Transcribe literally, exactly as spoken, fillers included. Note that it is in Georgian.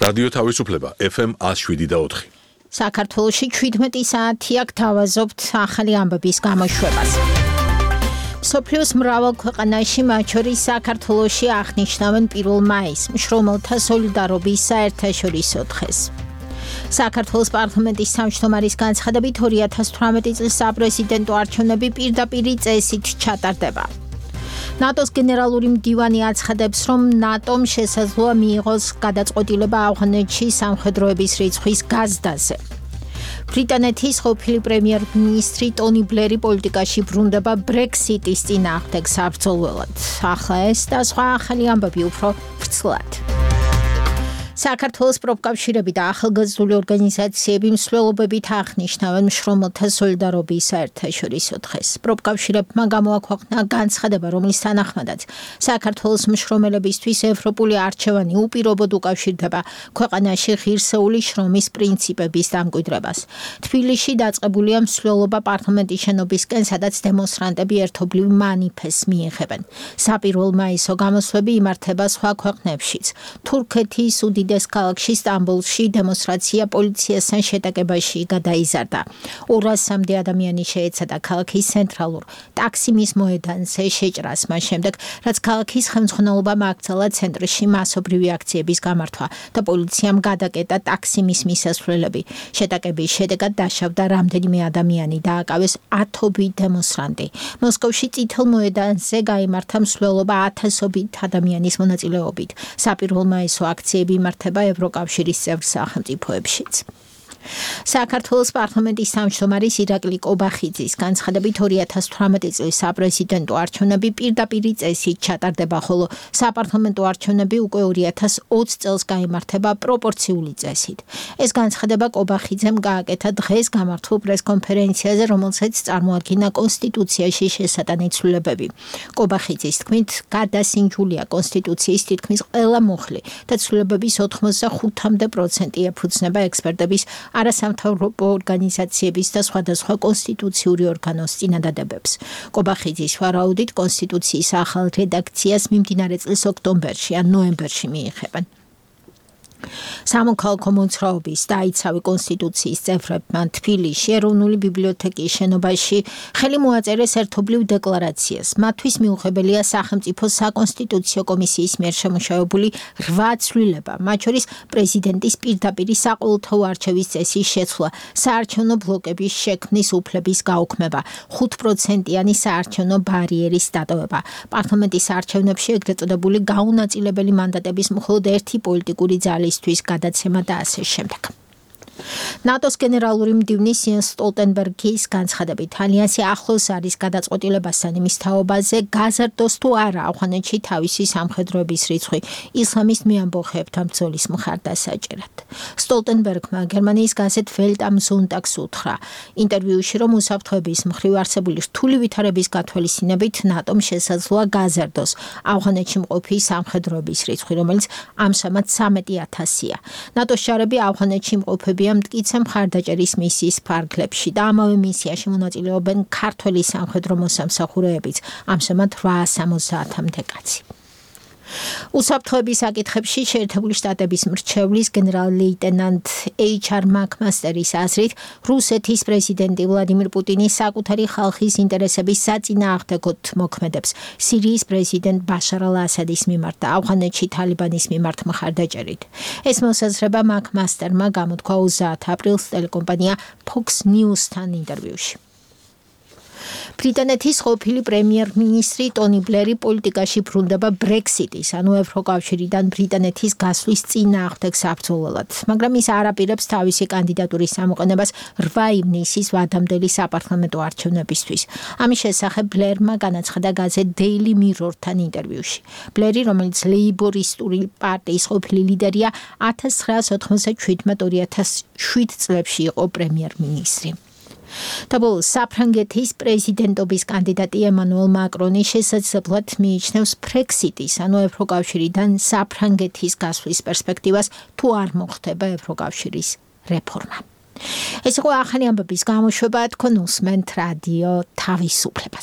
რადიო თავისუფლება ეფ ემ ათს შვიდი და ოთხი. საქართველოში ჩვიდმეტი საათი აქ თავაზობთ ახალი ამბების გამოშვებას. მსოფლიოს მრავალ ქვეყანაში, მათ შორის საქართველოში აღნიშნავენ პირველ მაისს, მშრომელთა სოლიდარობის საერთაშორისო დღეს. საქართველოს პარლამენტის თავმჯდომარის განცხადებით ორი ათას თვრამეტი წლის საპრეზიდენტო არჩევნები პირდაპირი წესით ჩატარდება. ნატოს გენერალური მდივანი აცხადებს, რომ ნატომ შესაძლოა მიიღოს გადაწყვეტილება ავღანეთში სამხედროების რიცხვის გაზრდაზე. ბრიტანეთის ყოფილი პრემიერ-მინისტრი ტონი ბლერი პოლიტიკაში ბრუნდება ბრექსიტის წინააღმდეგ საბრძოლველად. ახლა ეს და სხვა ახალი ამბები უფრო ვრცლად. საქართველოს პროფკავშირები და ახალგაზრდული ორგანიზაციები მსვლელობებით აღნიშნავენ მშრომელთა სოლიდარობის საერთაშორისო დღეს. პროფკავშირებმა გამოაქვეყნა განცხადება, რომლის თანახმადაც საქართველოს მშრომელებისთვის ევროპული არჩევანი უპირობოდ უკავშირდება ქვეყანაში ღირსეული შრომის პრინციპების დამკვიდრებას. თბილისში დაწყებულია მსვლელობა პარლამენტის შენობისკენ, სადაც დემონსტრანტები ერთობლივ მანიფესტს მიიღებენ. საპირველ მაისო გამოსვლები იმართება სხვა ქვეყნებშიც. თურქეთის უდიდეს ქალაქში სტამბოლში დემონსტრაცია პოლიციასთან შეტაკებაში გადაიზარდა. ორასამდე ადამიანი შეეცადა ქალაქის ცენტრალურ ტაქსიმის მოედანზე შეჭრას, მას შემდეგ, რაც ქალაქის ხელმძღვანელობამ აკრძალა ცენტრში მასობრივი აქციების გამართვა და პოლიციამ გადაკეტა ტაქსიმის მისასვლელები. შეტაკების შედეგად დაშავდა რამდენიმე ადამიანი და აკავეს ათობით დემონსტრანტი. მოსკოვში წითელ მოედანზე გაიმართა მსვლელობა ათასობით ადამიანის მონაწილეობით. საპირველ მაისო აქციები იმართება ევროკავშირის წევრ სახელმწიფოებშიც. საქართველოს პარლამენტის თავმჯდომარის ირაკლი კობახიძის განცხადებით ორი ათას თვრამეტი წლის საპრეზიდენტო არჩევნები პირდაპირი წესით ჩატარდება, ხოლო საპარლამენტო არჩევნები უკვე ორი ათას ოცი წელს გაიმართება პროპორციული წესით. ეს განცხადება კობახიძემ გააკეთა დღეს გამართულ პრესკონფერენციაზე, რომელსაც წარმოადგინა კონსტიტუციაში შესატანი ცვლილებები. კობახიძის თქმით, გადასინჯულია კონსტიტუციის თითქმის ყველა მუხლი და ცვლილებების ოთხმოცდახუთამდე პროცენტი ეფუძნება ექსპერტების, არასამთავრობო ორგანიზაციების და სხვადასხვა კონსტიტუციური ორგანოს წინადადებებს. კობახიძის ვარაუდით კონსტიტუციის ახალ რედაქციას მიმდინარე წლის ოქტომბერში ან ნოემბერში მიიღებენ. სამოქალაქო მოძრაობის დაიცავი კონსტიტუციის წევრებმა თბილისში ეროვნული ბიბლიოთეკის შენობაში ხელი მოაწერეს ერთობლივ დეკლარაციას. მათთვის მიუღებელია სახელმწიფო საკონსტიტუციო კომისიის მიერ შემუშავებული რვა ცვლილება, მათ შორის პრეზიდენტის პირდაპირი საყოველთაო არჩევის წესის შეცვლა, საარჩევნო ბლოკების შექმნის უფლების გაუქმება, ხუთპროცენტიანი საარჩევნო ბარიერის დატოვება, პარლამენტის არჩევნებში ეგრეთ წოდებული გაუნაწილებელი მანდატების მხოლოდ ერთი პოლიტიკური ძალის გადაცემა და ასე შემდეგ. ნატოს გენერალური მდივნის იენს სტოლტენბერგის განცხადებით, ალიანსი ახლოს არის გადაწყვეტილებასთან იმის თაობაზე, გაზარდოს თუ არა ავღანეთში თავისი სამხედროების რიცხვი ისლამის მეამბოხეებთან ბრძოლის მხარდასაჭერად. სტოლტენბერგმა გერმანიის გაზეთ Welt am Sonntag უთხრა ინტერვიუში, რომ უსაფრთხოების მხრივ არსებული რთული ვითარების გათვალისწინებით ნატომ შესაძლოა გაზარდოს ავღანეთში მყოფი სამხედროების რიცხვი, რომელიც ამჟამად სამეტი ათასია. ნატოს ჯარები ავღანეთში მყოფები მტკიცე მხარდაჭერის მისიის ფარგლებში და ამავე მისიაში მონაწილეობენ ქართველი სამხედრო მოსამსახურეებიც, ამჟამად რვაას სამოცდაათამდე კაცი. უსაფრთხოების საკითხებში შეერთებული შტატების მრჩევლის გენერალ-ლეიტენანტ ეიჩ არ მაკმასტერის აზრით, რუსეთის პრეზიდენტი ვლადიმირ პუტინი საკუთარი ხალხის ინტერესების საწინააღმდეგოდ მოქმედებს სირიის პრეზიდენტ ბაშარ ალ-ასადის მიმართ და ავღანეთში თალიბანის მიმართ მხარდაჭერით. ეს მოსაზრება მაკმასტერმა გამოთქვა ოცდაათ აპრილს ტელეკომპანია Fox News-თან ინტერვიუში. ბრიტანეთის ყოფილი პრემიერ-მინისტრი ტონი ბლერი პოლიტიკაში ბრუნდება ბრექსიტის, ანუ ევროკავშირიდან ბრიტანეთის გასვლის წინააღმდეგ საბრძოლველად, მაგრამ ის არ აპირებს თავისი კანდიდატურის ამოყენებას რვა ივნისის ვადამდელი საპარლამენტო არჩევნებისთვის. ამის შესახებ ბლერმა განაცხადა გაზეთ Daily Mirror-თან ინტერვიუში. ბლერი, რომელიც ლეიბორისტული პარტიის ყოფილი ლიდერია, ათას ცხრაას ოთხმოცდაშვიდმეტ ორი ათას შვიდ წლებში იყო პრემიერ-მინისტრი. Tabol საფრანგეთის პრეზიდენტობის კანდიდატი ემანუელ მაკრონი შესაძლებლად მიიჩნევს ბრექსიტის, ანუ ევროკავშირიდან საფრანგეთის გასვლის პერსპექტივას, თუ არ მოხდება ევროკავშირის რეფორმა. ეს იყო ახალი ამბების გამოშვება, თქვენ უსმენთ რადიო თავისუფლებას.